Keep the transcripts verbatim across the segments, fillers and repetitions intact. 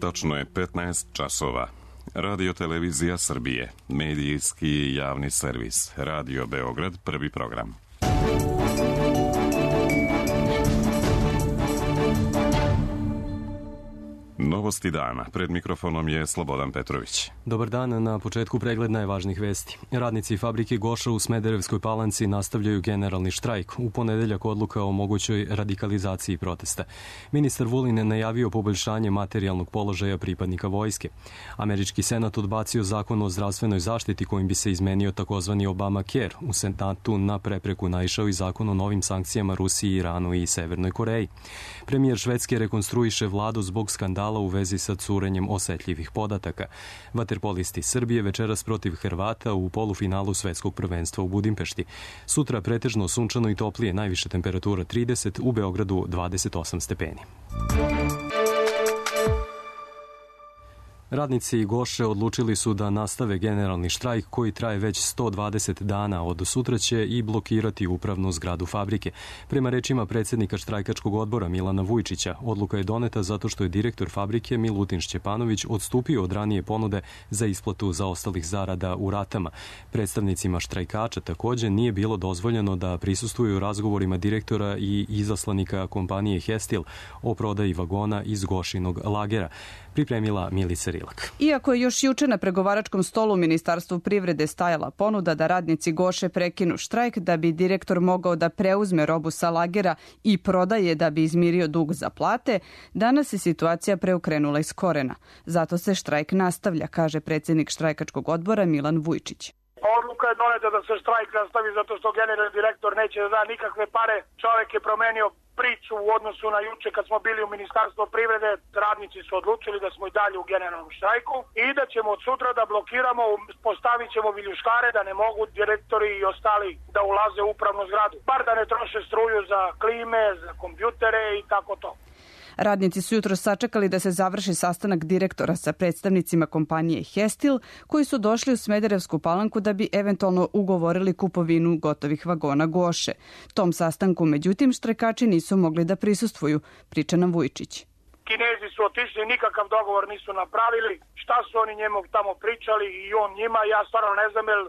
Tačno je petnaest časova. Radio Televizija Srbije, medijski javni servis, Radio Beograd, prvi program. Novosti dana. Pred mikrofonom je Slobodan Petrović. Dobar dan, na početku pregled najvažnijih vesti. Radnici fabrike Goša u Smederevskoj Palanci nastavljaju generalni štrajk. U ponedeljak odluka o mogućoj radikalizaciji protesta. Ministar Vulin najavio poboljšanje materijalnog položaja pripadnika vojske. Američki senat odbacio zakon o zdravstvenoj zaštiti kojim bi se izmenio takozvani Obamacare. U senatu na prepreku naišao i zakon o novim sankcijama Rusiji, Iranu i Severnoj Koreji. Premijer Švedske rekonstruiše vladu zbog skandala u vezi sa curenjem osetljivih podataka. Vaterpolisti Srbije večeras protiv Hrvata u polufinalu svetskog prvenstva u Budimpešti. Sutra pretežno sunčano i toplije, najviša temperatura trideset, u Beogradu dvadeset osam stepeni. Radnici Goše odlučili su da nastave generalni štrajk koji traje već sto dvadeset dana. Od sutra će i blokirati upravnu zgradu fabrike. Prema rečima predsjednika štrajkačkog odbora Milana Vujčića, odluka je doneta zato što je direktor fabrike Milutin Šćepanović odstupio od ranije ponude za isplatu zaostalih zarada u ratama. Predstavnicima štrajkača također nije bilo dozvoljeno da prisustvuju razgovorima direktora i izaslanika kompanije Hestil o prodaji vagona iz Gošinog lagera. Pripremila Milica Rilak. Iako je još juče na pregovaračkom stolu u Ministarstvu privrede stajala ponuda da radnici Goše prekinu štrajk da bi direktor mogao da preuzme robu sa lagera i prodaje da bi izmirio dug za plate, danas je situacija preokrenula iz korena. Zato se štrajk nastavlja, kaže predsjednik štrajkačkog odbora Milan Vujčić. Odluka je doneta da se štrajk nastavi zato što generalni direktor neće da da nikakve pare. Čovjek je promenio priču u odnosu na juče kad smo bili u Ministarstvu privrede. Radnici su odlučili da smo i dalje u generalnom štrajku i da ćemo od sutra da blokiramo, postavit ćemo viljuškare da ne mogu direktori i ostali da ulaze u upravnu zgradu. Bar da ne troše struju za klime, za kompjutere i tako to. Radnici su jutro sačekali da se završi sastanak direktora sa predstavnicima kompanije Hestil, koji su došli u Smederevsku Palanku da bi eventualno ugovorili kupovinu gotovih vagona Goše. Tom sastanku, međutim, štrajkači nisu mogli da prisustvuju, priča nam Vujčić. Kinezi su otišli, nikakav dogovor nisu napravili. Šta su oni njemu tamo pričali i on njima, ja stvarno ne znam, jer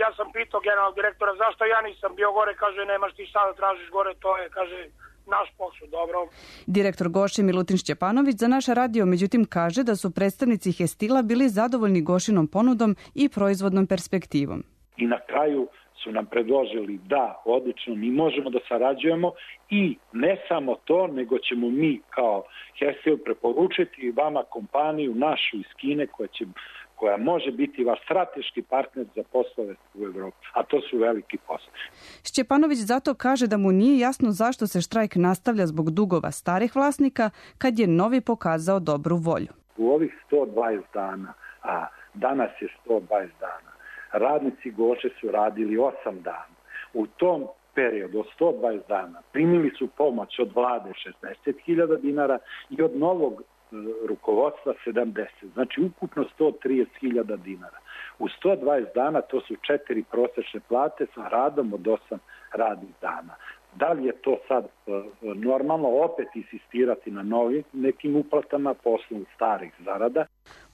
ja sam pitao generalnog direktora zašto ja nisam bio gore, kaže nemaš ti šta da tražiš gore, to je, kaže, naš posao, dobro. Direktor Goše Milutin Šćepanović za naš radio međutim kaže da su predstavnici Hestila bili zadovoljni Gošinom ponudom i proizvodnom perspektivom. I na kraju su nam predložili da odlično mi možemo da sarađujemo i ne samo to, nego ćemo mi kao Hestil preporučiti vama kompaniju našu iz Kine koja će koja može biti vaš strateški partner za poslove u Evropi, a to su veliki poslovi. Šćepanović zato kaže da mu nije jasno zašto se štrajk nastavlja zbog dugova starih vlasnika, kad je novi pokazao dobru volju. U ovih sto dvadeset dana, a danas je sto dvadeset dana, radnici Goše su radili osam dana. U tom periodu od sto dvadeset dana primili su pomoć od vlade šezdeset hiljada dinara i od novog rukovodstva sedamdeset, znači ukupno sto trideset hiljada dinara. U sto dvadeset dana to su četiri prosečne plate sa radom od osam radnih dana. Da li je to sad normalno opet insistirati na novim nekim uplatama po osnovu starih zarada?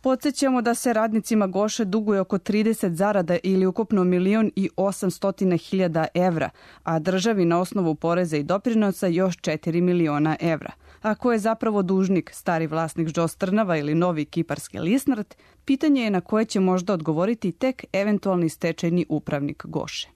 Podsjećamo da se radnicima Goše duguje oko trideset zarada ili ukupno milion i osamsto hiljada evra, a državi na osnovu poreza i doprinosa još četiri miliona evra. Ako je zapravo dužnik stari vlasnik Žostrnava ili novi kiparski Lisnart, pitanje je na koje će možda odgovoriti tek eventualni stečajni upravnik Goše.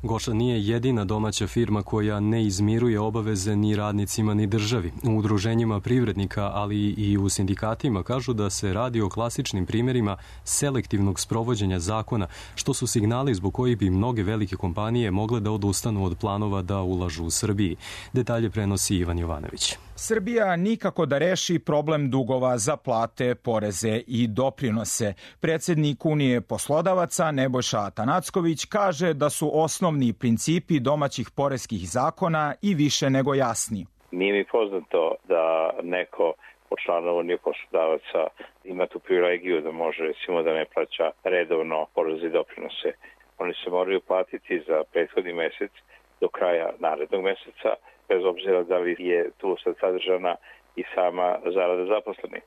Goša nije jedina domaća firma koja ne izmiruje obaveze ni radnicima ni državi. U udruženjima privrednika, ali i u sindikatima kažu da se radi o klasičnim primjerima selektivnog sprovođenja zakona, što su signali zbog kojih bi mnoge velike kompanije mogle da odustanu od planova da ulažu u Srbiji. Detalje prenosi Ivan Jovanović. Srbija nikako da reši problem dugova za plate, poreze i doprinose. Predsjednik Unije poslodavaca Nebojša Atanacković kaže da su osnovni principi domaćih poreskih zakona i više nego jasni. Nije mi poznato da neko po članu Unije poslodavaca ima tu privilegiju da može recimo da ne plaća redovno poreze i doprinose. Oni se moraju platiti za prethodni mesec do kraja narednog meseca, bez obzira da li je tu sad sadržana i sama zarada zaposlenih.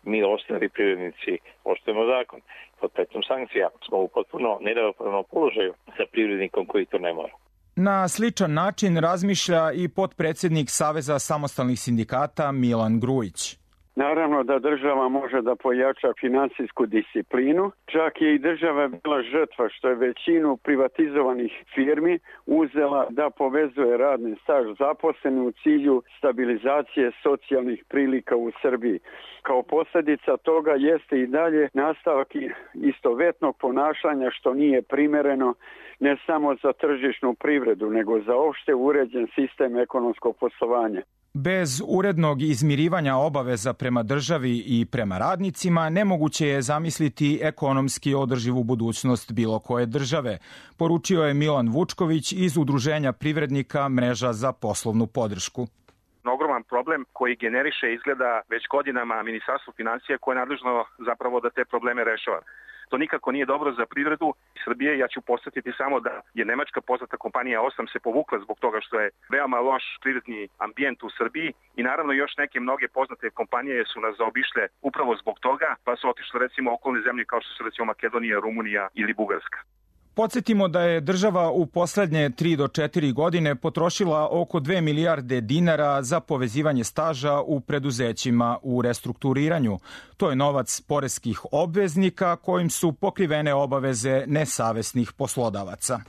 mi ostali privrednici poštujemo zakon. Pod pretnjom sankcija smo u potpuno neravnopravnom položaju sa privrednikom koji to ne mora. Na sličan način razmišlja i potpredsjednik Saveza samostalnih sindikata Milan Grujić. Naravno da država može da pojača finansijsku disciplinu, čak je i država bila žrtva što je većinu privatizovanih firmi uzela da povezuje radni staž zaposleni u cilju stabilizacije socijalnih prilika u Srbiji. Kao posljedica toga jeste i dalje nastavak istovetnog ponašanja što nije primereno ne samo za tržišnu privredu, nego za opšte uređen sistem ekonomskog poslovanja. Bez urednog izmirivanja obaveza prema državi i prema radnicima nemoguće je zamisliti ekonomski održivu budućnost bilo koje države, poručio je Milan Vučković iz Udruženja privrednika Mreža za poslovnu podršku. Ogroman problem koji generiše izgleda već godinama Ministarstvo finansija koje je nadležno zapravo da te probleme rešava. To nikako nije dobro za privredu Srbije. Ja ću podsjetiti samo da je nemačka poznata kompanija Osam se povukla zbog toga što je veoma loš privredni ambijent u Srbiji i naravno još neke mnoge poznate kompanije su nas zaobišle upravo zbog toga, pa su otišle recimo okolne zemlje kao što su recimo Makedonija, Rumunija ili Bugarska. Podsjetimo da je država u poslednje tri do četiri godine potrošila oko dve milijarde dinara za povezivanje staža u preduzećima u restrukturiranju. To je novac poreskih obveznika kojim su pokrivene obaveze nesavesnih poslodavaca.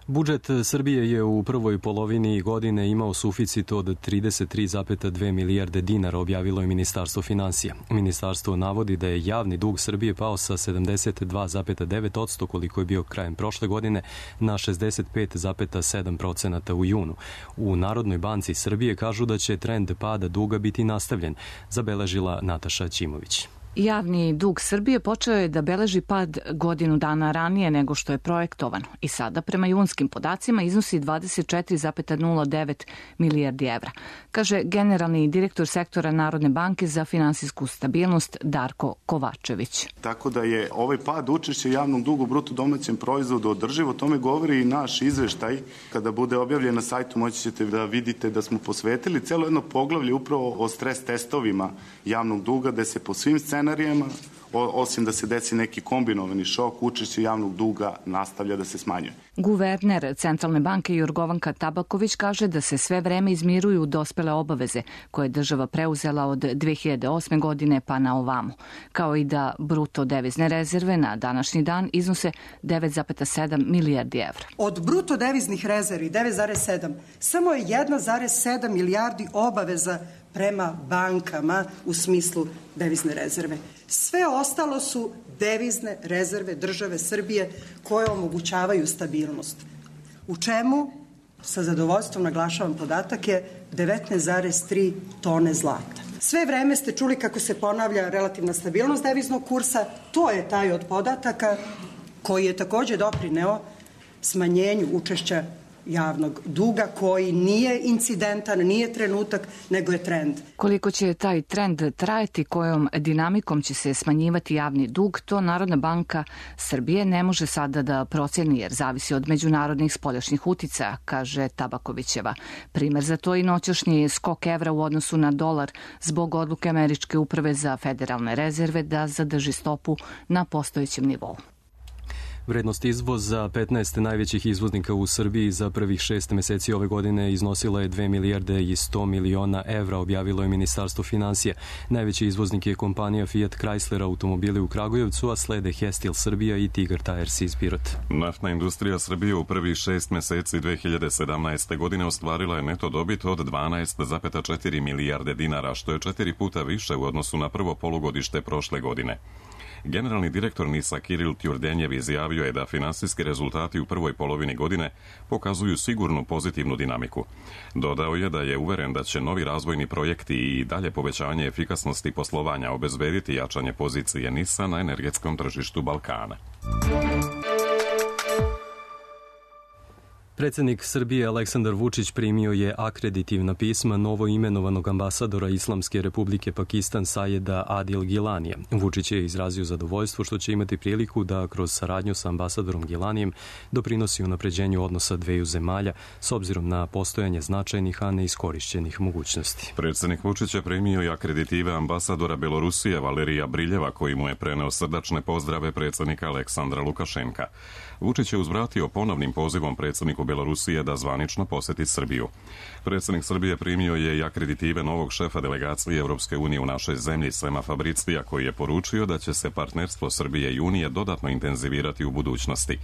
Budžet Srbije je u prvoj polovini godine imao suficit od trideset tri zarez dve milijarde dinara, objavilo je Ministarstvo finansija. Ministarstvo navodi da je javni dug Srbije pao sa sedamdeset dva zarez devet posto koliko je bio krajem prošle godine na šezdeset pet zarez sedam posto u junu. U Narodnoj banci Srbije kažu da će trend pada duga biti nastavljen, zabeležila Nataša Ćimović. Javni dug Srbije počeo je da beleži pad godinu dana ranije nego što je projektovano i sada prema junskim podacima iznosi dvadeset četiri zarez nula devet milijardi evra, kaže generalni direktor sektora Narodne banke za finansijsku stabilnost Darko Kovačević. Tako da je ovaj pad učešća javnog duga u bruto domaćem proizvodu održivo, tome govori i naš izveštaj. Kada bude objavljen na sajtu moći ćete da vidite da smo posvetili celo jedno poglavlje upravo o stres testovima javnog duga, gde se po svim scenarijama, osim da se desi neki kombinovani šok, učešće javnog duga nastavlja da se smanjuje. Guverner Centralne banke Jorgovanka Tabaković kaže da se sve vreme izmiruju dospele obaveze koje je država preuzela od dve hiljade osme godine pa na ovamo, kao i da bruto devizne rezerve na današnji dan iznose devet zarez sedam milijardi evra. Od bruto deviznih rezervi devet zarez sedam, samo je jedna zarez sedam milijardi obaveza prema bankama u smislu devizne rezerve. Sve ostalo su devizne rezerve države Srbije koje omogućavaju stabilnost. U čemu, sa zadovoljstvom naglašavam podatak, je devetnaest zarez tri tone zlata. Sve vreme ste čuli kako se ponavlja relativna stabilnost deviznog kursa. To je taj od podataka koji je takođe doprineo smanjenju učešća javnog duga koji nije incidentan, nije trenutak, nego je trend. Koliko će taj trend trajati, kojom dinamikom će se smanjivati javni dug, to Narodna banka Srbije ne može sada da proceni jer zavisi od međunarodnih spoljašnjih uticaja, kaže Tabakovićeva. Primer za to i noćašnji skok evra u odnosu na dolar zbog odluke Američke uprave za federalne rezerve da zadrži stopu na postojećem nivou. Vrednost izvoza petnaest najvećih izvoznika u Srbiji za prvih šest meseci ove godine iznosila je dve milijarde i sto miliona evra, objavilo je Ministarstvo finansija. Najveći izvoznik je kompanija Fiat Chrysler automobili u Kragujevcu, a slede Hestil Srbija i Tigar Tires iz Pirota. Naftna industrija Srbije u prvih šest meseci dve hiljade sedamnaeste. godine ostvarila je neto dobit od dvanaest zarez četiri milijarde dinara, što je četiri puta više u odnosu na prvo polugodište prošle godine. Generalni direktor NIS-a Kiril Tjurdenjev izjavio je da finansijski rezultati u prvoj polovini godine pokazuju sigurnu pozitivnu dinamiku. Dodao je da je uveren da će novi razvojni projekti i dalje povećanje efikasnosti poslovanja obezbediti jačanje pozicije NIS-a na energetskom tržištu Balkana. Predsjednik Srbije Aleksandar Vučić primio je akreditivna pisma novo imenovanog ambasadora Islamske republike Pakistan Sajeda Adil Gilanija. Vučić je izrazio zadovoljstvo što će imati priliku da kroz saradnju sa ambasadorom Gilanijem doprinosi unapređenju odnosa dveju zemalja s obzirom na postojanje značajnih, a neiskorišćenih mogućnosti. Predsjednik Vučić je primio i akreditive ambasadora Belorusije Valerija Briljeva, koji mu je preneo srdačne pozdrave predsjednika Aleksandra Lukašenka. Vučić je uzvratio ponovnim pozivom predsjedniku Belorusije da zvanično posjeti Srbiju. Predsjednik Srbije primio je i akreditive novog šefa delegacije Europske unije u našoj zemlji, Sema Fabricija, koji je poručio da će se partnerstvo Srbije i Unije dodatno intenzivirati u budućnosti.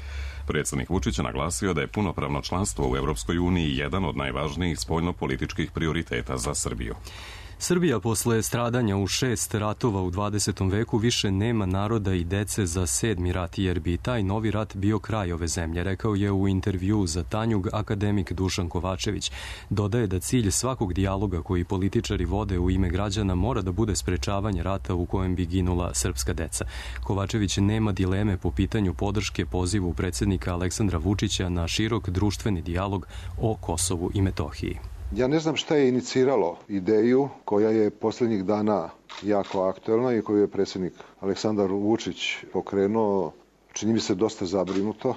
Predsjednik Vučić je naglasio da je punopravno članstvo u Europskoj uniji jedan od najvažnijih spoljnopolitičkih prioriteta za Srbiju. Srbija posle stradanja u šest ratova u dvadesetom veku više nema naroda i dece za sedmi rat, jer bi taj novi rat bio kraj ove zemlje, rekao je u intervju za Tanjug akademik Dušan Kovačević. Dodaje da cilj svakog dijaloga koji političari vode u ime građana mora da bude sprečavanje rata u kojem bi ginula srpska deca. Kovačević nema dileme po pitanju podrške pozivu predsjednika Aleksandra Vučića na širok društveni dijalog o Kosovu i Metohiji. Ja ne znam šta je iniciralo ideju koja je posljednjih dana jako aktuelna i koju je predsjednik Aleksandar Vučić pokrenuo, čini mi se dosta zabrinuto,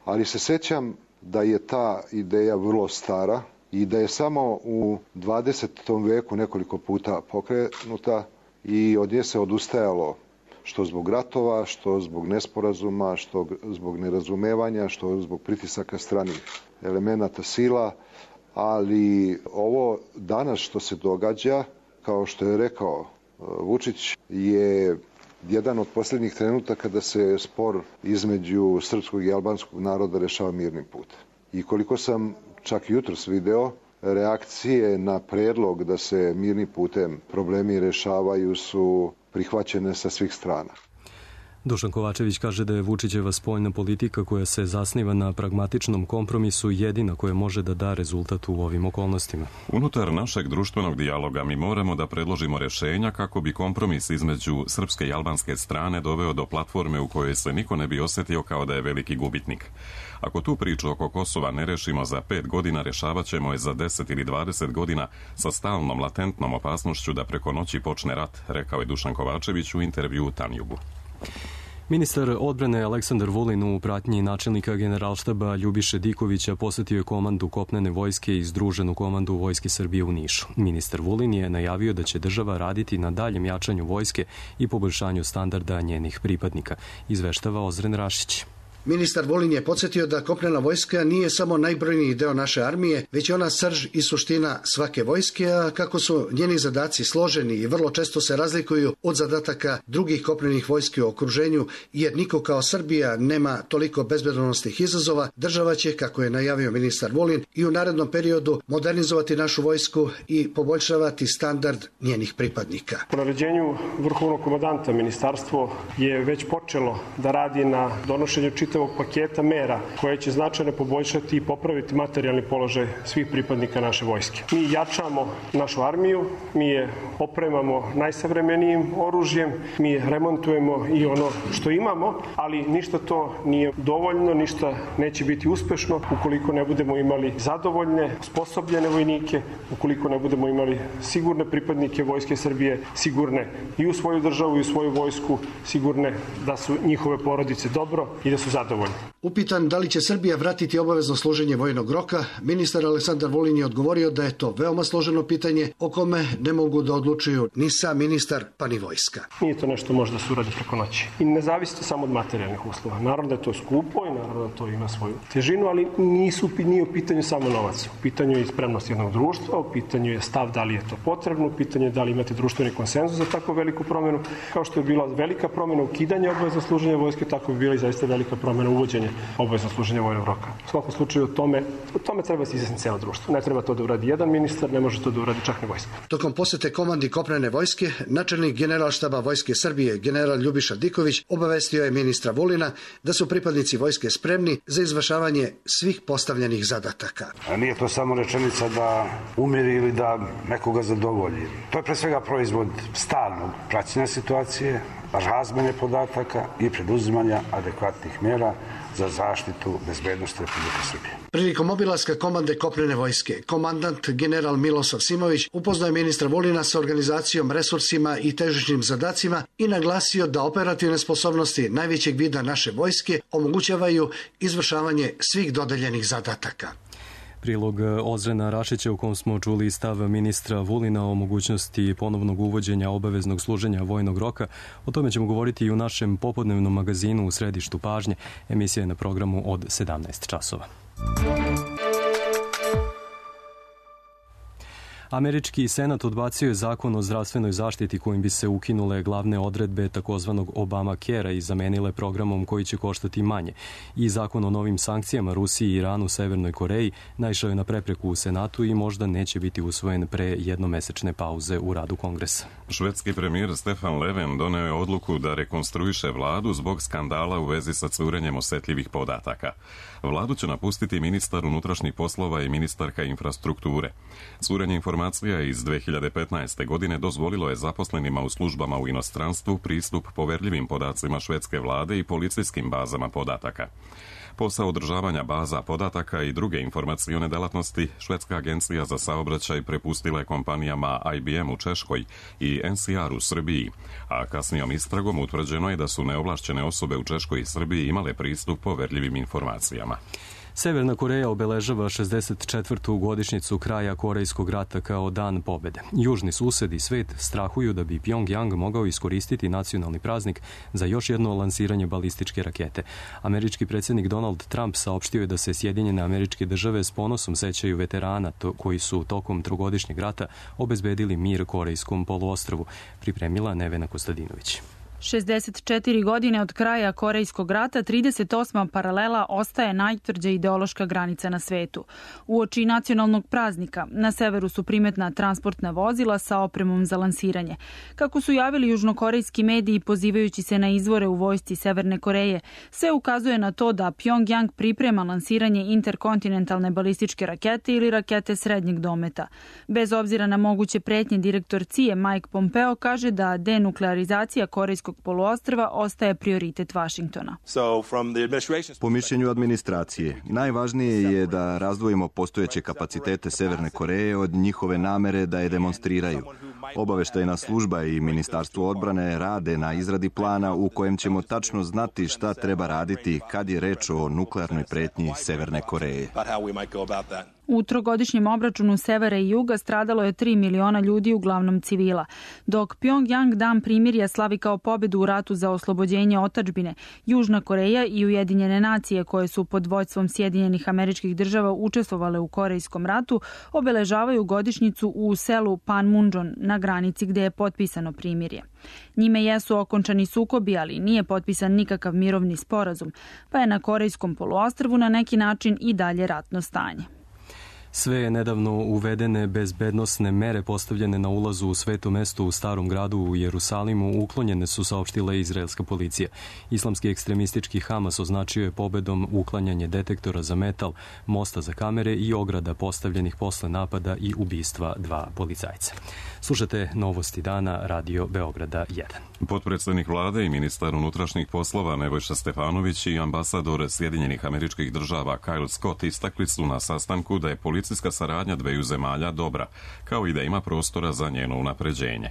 ali se sjećam da je ta ideja vrlo stara i da je samo u dvadesetom veku nekoliko puta pokrenuta i od nje se odustajalo, što zbog ratova, što zbog nesporazuma, što zbog nerazumevanja, što zbog pritisaka stranih elemenata sila. Ali ovo danas što se događa, kao što je rekao Vučić, je jedan od posljednjih trenutaka da se spor između srpskog i albanskog naroda rešava mirnim putem. I koliko sam čak jutros video, reakcije na predlog da se mirnim putem problemi rešavaju su prihvaćene sa svih strana. Dušan Kovačević kaže da je Vučićeva spoljna politika koja se zasniva na pragmatičnom kompromisu jedina koja može da da rezultat u ovim okolnostima. Unutar našeg društvenog dijaloga mi moramo da predložimo rješenja kako bi kompromis između srpske i albanske strane doveo do platforme u kojoj se niko ne bi osjetio kao da je veliki gubitnik. Ako tu priču oko Kosova ne rešimo za pet godina, rešavat ćemo je za deset ili dvadeset godina sa stalnom latentnom opasnošću da preko noći počne rat, rekao je Dušan Kovačević u intervju u Tanjugu. Ministar odbrane Aleksandar Vulin u pratnji načelnika generalštaba Ljubiše Dikovića posjetio je komandu kopnene vojske i združenu komandu Vojske Srbije u Nišu. Ministar Vulin je najavio da će država raditi na daljem jačanju vojske i poboljšanju standarda njenih pripadnika, izveštava Ozren Rašić. Ministar Vulin je podsjetio da kopnena vojska nije samo najbrojniji deo naše armije, već je ona srž i suština svake vojske, a kako su njeni zadaci složeni i vrlo često se razlikuju od zadataka drugih kopnenih vojski u okruženju, jer niko kao Srbija nema toliko bezbednosnih izazova, država će, kako je najavio ministar Vulin, i u narednom periodu modernizovati našu vojsku i poboljšavati standard njenih pripadnika. Po naređenju vrhovnog komandanta ministarstvo je već počelo da radi na donošenju čitavog paketa mera koje će značajno poboljšati i popraviti materijalni položaj svih pripadnika naše vojske. Mi jačamo našu armiju, mi je opremamo najsavremenijim oružjem, mi remontujemo i ono što imamo, ali ništa to nije dovoljno, ništa neće biti uspešno ukoliko ne budemo imali zadovoljne, sposobljene vojnike, ukoliko ne budemo imali sigurne pripadnike Vojske Srbije, sigurne i u svoju državu i u svoju vojsku, sigurne da su njihove porodice dobro i da su zadovoljni. Upitan da li će Srbija vratiti obavezno služenje vojnog roka, ministar Aleksandar Vulin je odgovorio da je to veoma složeno pitanje o kome ne mogu da odlučuju ni sam ministar pa ni vojska. Nije to nešto može da se uradi preko noći i ne zavisi to samo od materijalnih uslova. Naravno da je to skupo i naravno da to ima svoju težinu, ali nisu, nije u pitanju samo novac. U pitanju je spremnost jednog društva, u pitanju je stav da li je to potrebno, u pitanju je da li imate društveni konsenzus za tako veliku promjenu. Kao što je bila velika promjena ukidanja obavezno služenja vojske, tako bi bila i zaista velika promjena uvođenje obavezno služenja vojnog roka. U svakom slučaju o tome, o tome treba se izjasniti cijelo društvo. Ne treba to da uradi jedan ministar, ne može to da uradi čak ni vojska. Tokom posete komandi kopnene vojske, načelnik generalštaba Vojske Srbije, general Ljubiša Diković, obavestio je ministra Vulina da su pripadnici vojske spremni za izvršavanje svih postavljenih zadataka. A nije to samo rečenica da umiri ili da nekoga zadovolji. To je pre svega proizvod stalnog praćenja situacije, razmene podataka i preduzimanja adekvatnih mjera za zaštitu bezbednosti Republike Srbije. Prilikom obilaska komande kopnene vojske, komandant general Milosav Simović upoznao je ministra Vulina sa organizacijom, resursima i težišnim zadacima i naglasio da operativne sposobnosti najvećeg vida naše vojske omogućavaju izvršavanje svih dodeljenih zadataka. Prilog Ozrena Rašića u kom smo čuli stav ministra Vulina o mogućnosti ponovnog uvođenja obaveznog služenja vojnog roka. O tome ćemo govoriti i u našem popodnevnom magazinu u središtu pažnje. Emisija je na programu od sedamnaest časova. Američki senat odbacio je zakon o zdravstvenoj zaštiti kojim bi se ukinule glavne odredbe takozvanog Obamacarea i zamenile programom koji će koštati manje. I zakon o novim sankcijama Rusiji, Iranu, Severnoj Koreji naišao je na prepreku u Senatu i možda neće biti usvojen pre jednomesečne pauze u radu Kongresa. Švedski premijer Stefan Löfven doneo je odluku da rekonstruiše vladu zbog skandala u vezi sa curenjem osetljivih podataka. Vladu će napustiti ministar unutrašnjih poslova i ministarka infrastrukture. Curenje informacija iz dve hiljade petnaeste. godine dozvolilo je zaposlenima u službama u inostranstvu pristup poverljivim podacima švedske vlade i policijskim bazama podataka. Posao održavanja baza podataka i druge informacione delatnosti švedska agencija za saobraćaj prepustila je kompanijama I B M u Češkoj i N C R u Srbiji, a kasnijom istragom utvrđeno je da su neovlašćene osobe u Češkoj i Srbiji imale pristup poverljivim informacijama. Severna Koreja obeležava šezdeset četvrtu godišnjicu kraja Korejskog rata kao dan pobede. Južni sused i svet strahuju da bi Pjongjang mogao iskoristiti nacionalni praznik za još jedno lansiranje balističke rakete. Američki predsjednik Donald Trump saopštio je da se Sjedinjene Američke Države s ponosom sećaju veterana koji su tokom trogodišnjeg rata obezbedili mir Korejskom poluostrvu, pripremila Nevena Kostadinović. šezdeset četiri godine od kraja Korejskog rata, trideset osma paralela ostaje najtvrđa ideološka granica na svetu. Uoči nacionalnog praznika na severu su primetna transportna vozila sa opremom za lansiranje. Kako su javili južnokorejski mediji pozivajući se na izvore u vojsci Severne Koreje, sve ukazuje na to da Pjongjang priprema lansiranje interkontinentalne balističke rakete ili rakete srednjeg dometa. Bez obzira na moguće pretnje, direktor C I A Mike Pompeo kaže da denuklearizacija Korejskog poluostrva ostaje prioritet Vašingtona. Po mišljenju administracije, najvažnije je da razdvojimo postojeće kapacitete Severne Koreje od njihove namere da je demonstriraju. Obaveštajna služba i Ministarstvo odbrane rade na izradi plana u kojem ćemo tačno znati šta treba raditi kad je reč o nuklearnoj pretnji Severne Koreje. U trogodišnjem obračunu severa i juga stradalo je tri miliona ljudi, uglavnom civila. Dok Pjongjang dan primirja slavi kao pobedu u ratu za oslobođenje otadžbine, Južna Koreja i Ujedinjene nacije koje su pod vođstvom Sjedinjenih Američkih Država učestvovale u Korejskom ratu obeležavaju godišnjicu u selu Panmunjom na granici gde je potpisano primirje. Njime jesu okončani sukobi, ali nije potpisan nikakav mirovni sporazum, pa je na Korejskom poluostrvu na neki način i dalje ratno stanje. Sve nedavno uvedene bezbednosne mere postavljene na ulazu u sveto mesto u Starom gradu u Jerusalimu uklonjene su, saopštila izraelska policija. Islamski ekstremistički Hamas označio je pobedom uklanjanje detektora za metal, mosta za kamere i ograda postavljenih posle napada i ubistva dva policajca. Slušate Novosti dana, Radio Beograda jedan. Potpredsednik vlade i ministar unutrašnjih poslova Nebojša Stefanović i ambasador Sjedinjenih Američkih Država Kyle Scott istakli su na sastanku da je policijska saradnja dveju zemalja dobra, kao i da ima prostora za njeno unapređenje.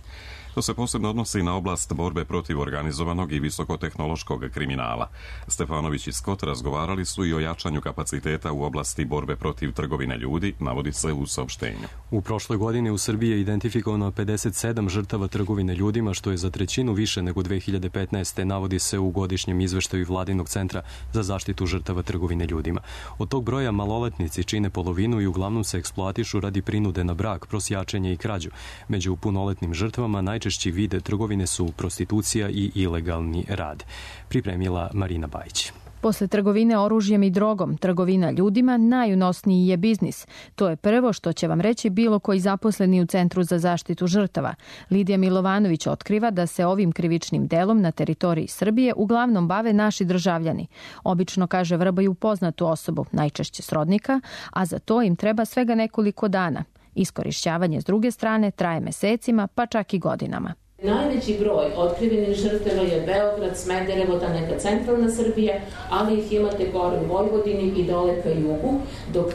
To se posebno odnosi na oblast borbe protiv organizovanog i visokotehnološkog kriminala. Stefanović i Scott razgovarali su i o jačanju kapaciteta u oblasti borbe protiv trgovine ljudi, navodi se u saopštenju. U prošloj godini u Srbiji je identifikovano pedeset sedam žrtava trgovine ljudima, što je za trećinu više nego dve hiljade petnaeste. navodi se u godišnjem izveštaju Vladinog centra za zaštitu žrtava trgovine ljudima. Od tog broja maloletnici čine polovinu i uglavnom se eksploatišu radi prinude na brak, prosjačenje i krađu. Među punoletnim žrtvama najčešći vide trgovine su prostitucija i ilegalni rad. Pripremila Marina Bajić. Posle trgovine oružjem i drogom, trgovina ljudima najunosniji je biznis. To je prvo što će vam reći bilo koji zaposleni u Centru za zaštitu žrtava. Lidija Milovanović otkriva da se ovim krivičnim delom na teritoriji Srbije uglavnom bave naši državljani. Obično, kaže, vrbaju poznatu osobu, najčešće srodnika, a za to im treba svega nekoliko dana. Iskorišćavanje s druge strane traje mesecima, pa čak i godinama. Najveći broj otkrivenih žrtava je Beograd, Smederevo, ta neka centralna Srbija, ali ih imate gore u Vojvodini i dole ka jugu, dok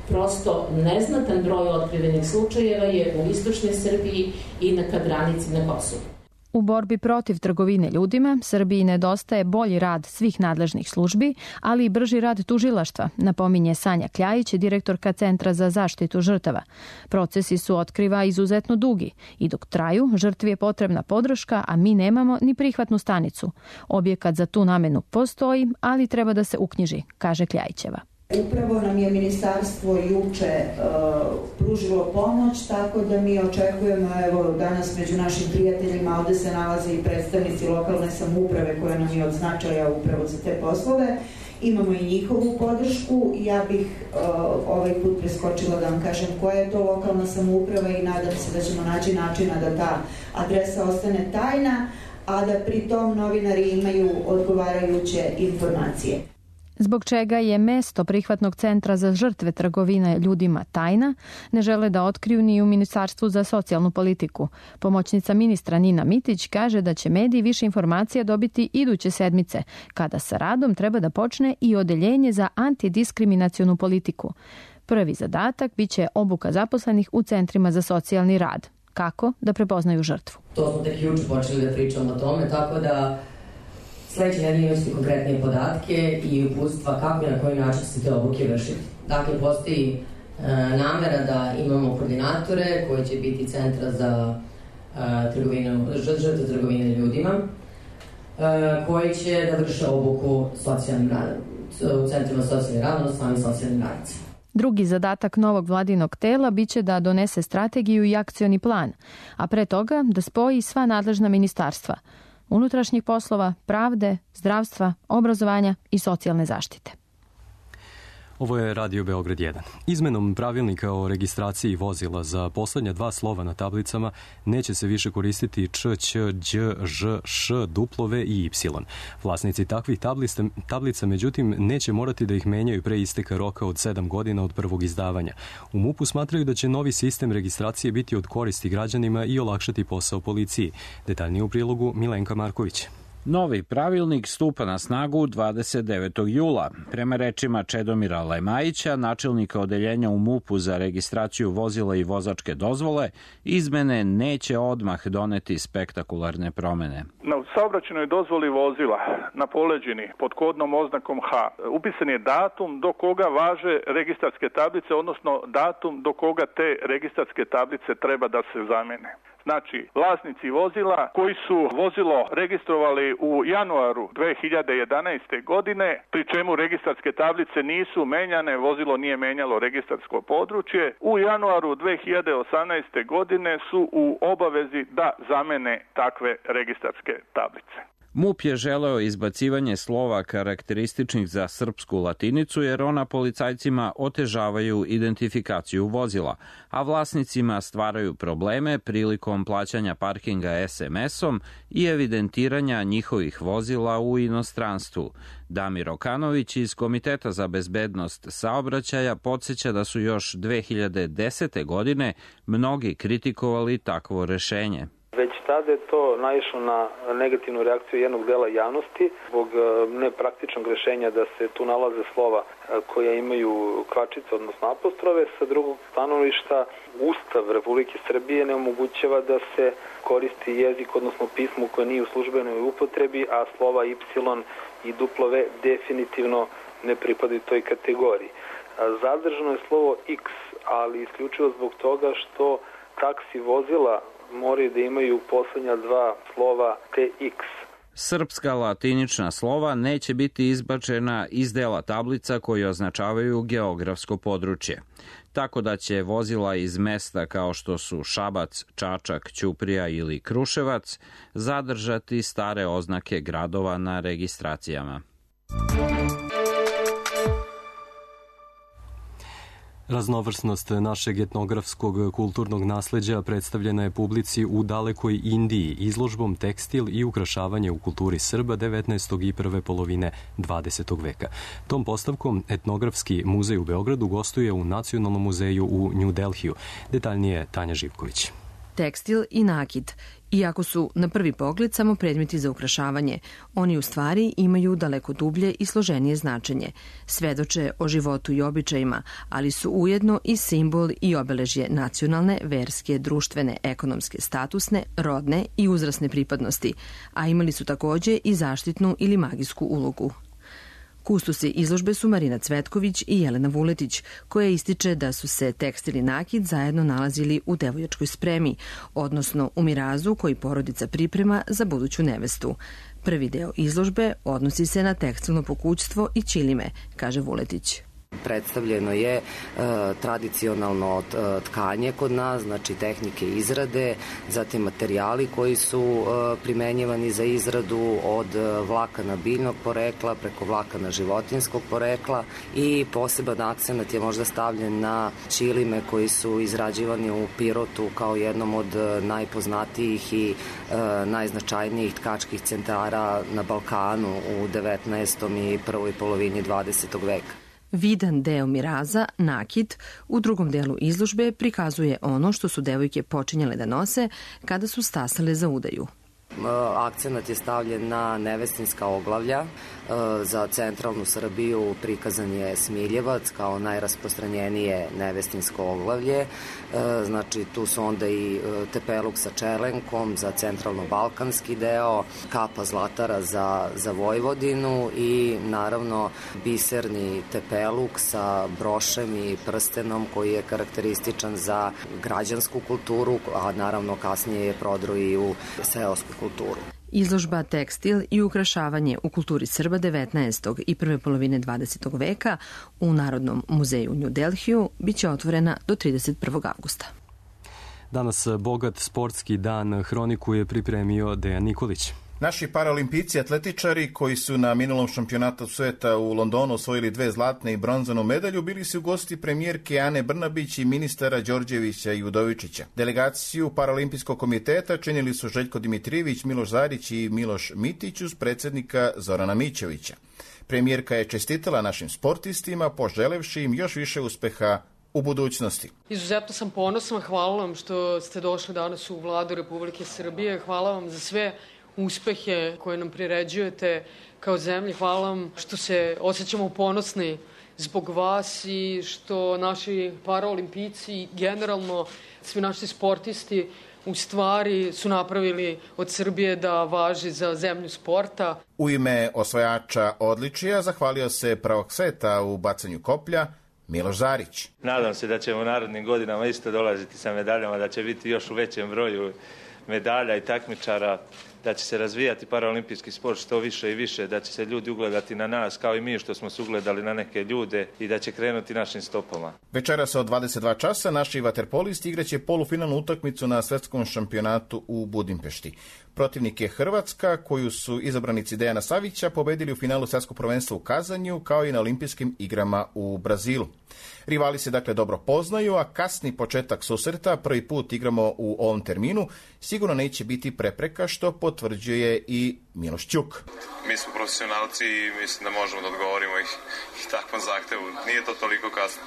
prosto neznatan broj otkrivenih slučajeva je u istočnoj Srbiji i na ka granici na Kosovu. U borbi protiv trgovine ljudima, Srbiji nedostaje bolji rad svih nadležnih službi, ali i brži rad tužilaštva, napominje Sanja Kljajić, direktorka Centra za zaštitu žrtava. Procesi su, otkriva, izuzetno dugi i dok traju, žrtvi je potrebna podrška, a mi nemamo ni prihvatnu stanicu. Objekat za tu namenu postoji, ali treba da se uknjiži, kaže Kljajićeva. Upravo nam je ministarstvo juče uh, pružilo pomoć, tako da mi očekujemo, evo danas među našim prijateljima ovde se nalaze i predstavnici lokalne samouprave koja nam je od značaja upravo za te poslove. Imamo i njihovu podršku. Ja bih uh, ovaj put preskočila da vam kažem koja je to lokalna samouprava i nadam se da ćemo naći načina da ta adresa ostane tajna, a da pri tom novinari imaju odgovarajuće informacije. Zbog čega je mesto prihvatnog centra za žrtve trgovine ljudima tajna, ne žele da otkriju ni u Ministarstvu za socijalnu politiku. Pomoćnica ministra Nina Mitić kaže da će mediji više informacija dobiti iduće sedmice, kada sa radom treba da počne i odeljenje za antidiskriminacionu politiku. Prvi zadatak biće obuka zaposlenih u centrima za socijalni rad. Kako da prepoznaju žrtvu? To smo tek juče počeli da pričamo o tome, tako da sledeće nedelje imati konkretnije podatke i uputstva kako i na koji način se te obuke vršiti. Dakle, postoji e, namera da imamo koordinatore koji će biti centra za e, trgovinu, žrtve trgovine ljudima, e, koji će da vrše obuku socijalnim radom, u centrima socijalnih rada, odnosno sami socijalnim radnicima. Drugi zadatak novog vladinog tela biće da donese strategiju i akcioni plan, a pre toga da spoji sva nadležna ministarstva – unutrašnjih poslova, pravde, zdravstva, obrazovanja i socijalne zaštite. Ovo je Radio Beograd jedan. Izmenom pravilnika o registraciji vozila za poslednja dva slova na tablicama neće se više koristiti č, ć, đ, ž, š, W i Y. Vlasnici takvih tablica, tablica, međutim, neće morati da ih menjaju pre isteka roka od sedam godina od prvog izdavanja. U MUP-u smatraju da će novi sistem registracije biti od koristi građanima i olakšati posao policiji. Detaljnije u prilogu Milenka Marković. Novi pravilnik stupa na snagu dvadeset devetog jula. Prema rečima Čedomira Lemajića, načelnika odeljenja u MUP-u za registraciju vozila i vozačke dozvole, izmene neće odmah doneti spektakularne promene. Na saobraćajnoj dozvoli vozila na poleđini pod kodnom oznakom H upisan je datum do koga važe registarske tablice, odnosno datum do koga te registarske tablice treba da se zamene. Znači, vlasnici vozila koji su vozilo registrovali u januaru dve hiljade jedanaeste. godine, pri čemu registarske tablice nisu menjane, vozilo nije menjalo registarsko područje, u januaru dve hiljade osamnaeste. godine su u obavezi da zamene takve registarske tablice. MUP je želeo izbacivanje slova karakterističnih za srpsku latinicu jer ona policajcima otežavaju identifikaciju vozila, a vlasnicima stvaraju probleme prilikom plaćanja parkinga es em esom i evidentiranja njihovih vozila u inostranstvu. Damir Okanović iz Komiteta za bezbednost saobraćaja podsjeća da su još dve hiljade desete. godine mnogi kritikovali takvo rešenje. Već tada je to naišlo na negativnu reakciju jednog dela javnosti zbog nepraktičnog rešenja da se tu nalaze slova koja imaju kvačice, odnosno apostrove. Sa drugog stanovišta, Ustav Republike Srbije ne omogućava da se koristi jezik, odnosno pismo koje nije u službenoj upotrebi, a slova Y i W definitivno ne pripadaju toj kategoriji. Zadržano je slovo X, ali isključivo zbog toga što taksi vozila moraju da imaju poslednja dva slova T X. Srpska latinična slova neće biti izbačena iz dela tablica koji označavaju geografsko područje. Tako da će vozila iz mesta kao što su Šabac, Čačak, Ćuprija ili Kruševac zadržati stare oznake gradova na registracijama. Raznovrsnost našeg etnografskog kulturnog nasleđa predstavljena je publici u dalekoj Indiji izložbom Tekstil i ukrašavanje u kulturi Srba devetnaestog i prve polovine dvadesetog veka. Tom postavkom Etnografski muzej u Beogradu gostuje u Nacionalnom muzeju u New Delhiju. Detaljnije Tanja Živković. tekstil i nakit. Iako su na prvi pogled samo predmeti za ukrašavanje, oni u stvari imaju daleko dublje i složenije značenje. Svedoče o životu i običajima, ali su ujedno i simbol i obeležje nacionalne, verske, društvene, ekonomske, statusne, rodne i uzrasne pripadnosti, a imali su takođe i zaštitnu ili magijsku ulogu. Kustosi izložbe su Marina Cvetković i Jelena Vuletić, koja ističe da su se tekstil i nakit zajedno nalazili u devojačkoj spremi, odnosno u mirazu koji porodica priprema za buduću nevestu. Prvi deo izložbe odnosi se na tekstilno pokućstvo i ćilime, kaže Vuletić. Predstavljeno je e, tradicionalno tkanje kod nas, znači tehnike izrade, zatim materijali koji su e, primenjivani za izradu od vlakana biljnog porekla preko vlakana životinskog porekla i poseban akcenat je možda stavljen na ćilime koji su izrađivani u Pirotu kao jednom od najpoznatijih i e, najznačajnijih tkačkih centara na Balkanu u devetnaestom i prvoj polovini dvadesetog veka. Vidan deo miraza, nakit, u drugom delu izložbe prikazuje ono što su devojke počinjale da nose kada su stasale za udaju. Akcenat je stavljen na nevestinska oglavlja. Za centralnu Srbiju prikazan je smiljevac kao najrasprostranjenije nevestinsko oglavlje. Znači tu su onda i tepeluk sa čelenkom za centralno-balkanski deo, kapa zlatara za, za Vojvodinu i naravno biserni tepeluk sa brošem i prstenom koji je karakterističan za građansku kulturu, a naravno kasnije je prodro i u seosku kulturu. Izložba Tekstil i ukrašavanje u kulturi Srba devetnaestog i prve polovine dvadesetog veka u Narodnom muzeju u New Delhiju biće otvorena do trideset prvog avgusta. Danas bogat sportski dan hroniku je pripremio Dejan Nikolić. Naši paraolimpijci atletičari koji su na minulom šampionatu sveta u Londonu osvojili dve zlatne i bronzanu medalju bili su gosti premijerke Ane Brnabić i ministara Đorđevića i Udovičića. Delegaciju Paraolimpijskog komiteta činili su Željko Dimitrijević, Miloš Zarić i Miloš Mitić uz predsjednika Zorana Mićevića. Premijerka je čestitala našim sportistima, poželevši im još više uspeha u budućnosti. Izuzetno sam ponosna, hvala vam što ste došli danas u Vladu Republike Srbije, hvala vam za sve uspehe koje nam priređujete kao zemlji. Hvala vam što se osjećamo ponosni zbog vas i što naši paraolimpijci i generalno svi naši sportisti u stvari su napravili od Srbije da važi za zemlju sporta. U ime osvajača odličija zahvalio se prvog sveta u bacanju koplja Miloš Zarić. Nadam se da ćemo u narednim godinama isto dolaziti sa medaljama, da će biti još u većem broju medalja i takmičara, da će se razvijati paraolimpijski sport što više i više, da će se ljudi ugledati na nas kao i mi što smo se ugledali na neke ljude i da će krenuti našim stopama. Večeras od dvadeset dva časa naši vaterpolisti igraće polufinalnu utakmicu na svetskom šampionatu u Budimpešti. Protivnik je Hrvatska, koju su izabranici Dejana Savića pobedili u finalu svjetskog prvenstva u Kazanju, kao i na olimpijskim igrama u Brazilu. Rivali se dakle dobro poznaju, a kasni početak susreta, prvi put igramo u ovom terminu, sigurno neće biti prepreka, što potvrđuje i Miloš Ćuk. Mi smo profesionalci i mislim da možemo da odgovorimo i, i takvom zahtevu. Nije to toliko kasno.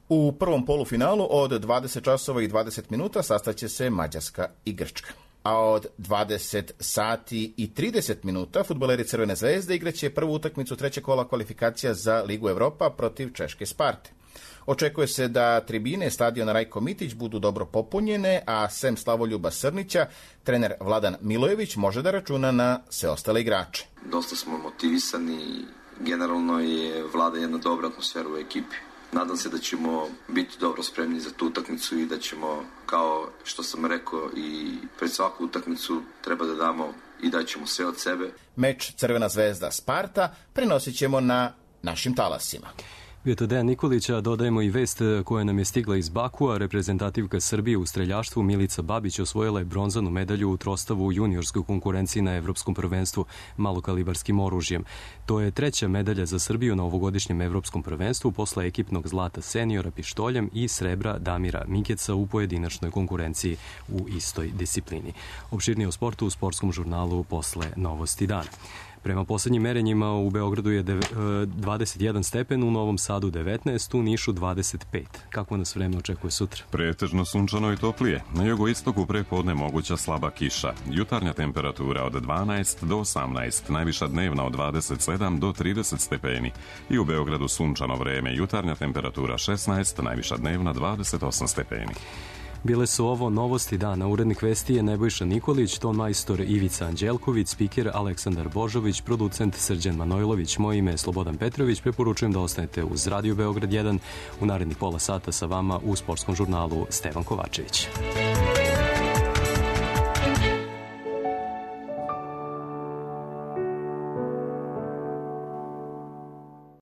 U prvom polufinalu od dvadeset časova i dvadeset minuta sastaće se Mađarska i Grčka. A od dvadeset sati i trideset minuta fudbaleri Crvene zvezde igraće prvu utakmicu trećeg kola kvalifikacija za Ligu Evropa protiv češke Sparte. Očekuje se da tribine stadiona Rajko Mitić budu dobro popunjene, a sem Slavoljuba Srnića, trener Vladan Milojević može da računa na sve ostale igrače. Dosta smo motivisani, generalno je vlada jedna dobra atmosfera u ekipi. Nadam se da ćemo biti dobro spremni za tu utakmicu i da ćemo, kao što sam rekao, i pred svaku utakmicu treba da damo i da ćemo sve od sebe. Meč Crvena zvezda Sparta prenosit ćemo na našim talasima. Bio to Dejan Nikolića, dodajemo i vest koja nam je stigla iz Bakua. Reprezentativka Srbije u streljaštvu Milica Babić osvojila je bronzanu medalju u trostavu u juniorskoj konkurenciji na Evropskom prvenstvu malokalibarskim oružjem. To je treća medalja za Srbiju na ovogodišnjem Evropskom prvenstvu posle ekipnog zlata seniora pištoljem i srebra Damira Mikeca u pojedinačnoj konkurenciji u istoj disciplini. Opširnije o sportu u sportskom žurnalu posle Novosti dana. Prema posljednjim merenjima u Beogradu je dvadeset jedan stepen, u Novom Sadu devetnaest, u Nišu dvadeset pet. Kako nas vreme očekuje sutra? Pretežno sunčano i toplije. Na jugoistoku prepodne moguća slaba kiša. Jutarnja temperatura od dvanaest do osamnaest, najviša dnevna od dvadeset sedam do trideset stepeni. I u Beogradu sunčano vreme, jutarnja temperatura šesnaest, najviša dnevna dvadeset osam stepeni. Bile su ovo novosti dana. Urednik vesti je Nebojša Nikolić, ton majstor Ivica Anđelković, spiker Aleksandar Božović, producent Srđan Manojlović. Moje ime je Slobodan Petrović. Preporučujem da ostanete uz Radio Beograd jedan. U narednih pola sata sa vama u sportskom žurnalu Stevan Kovačević.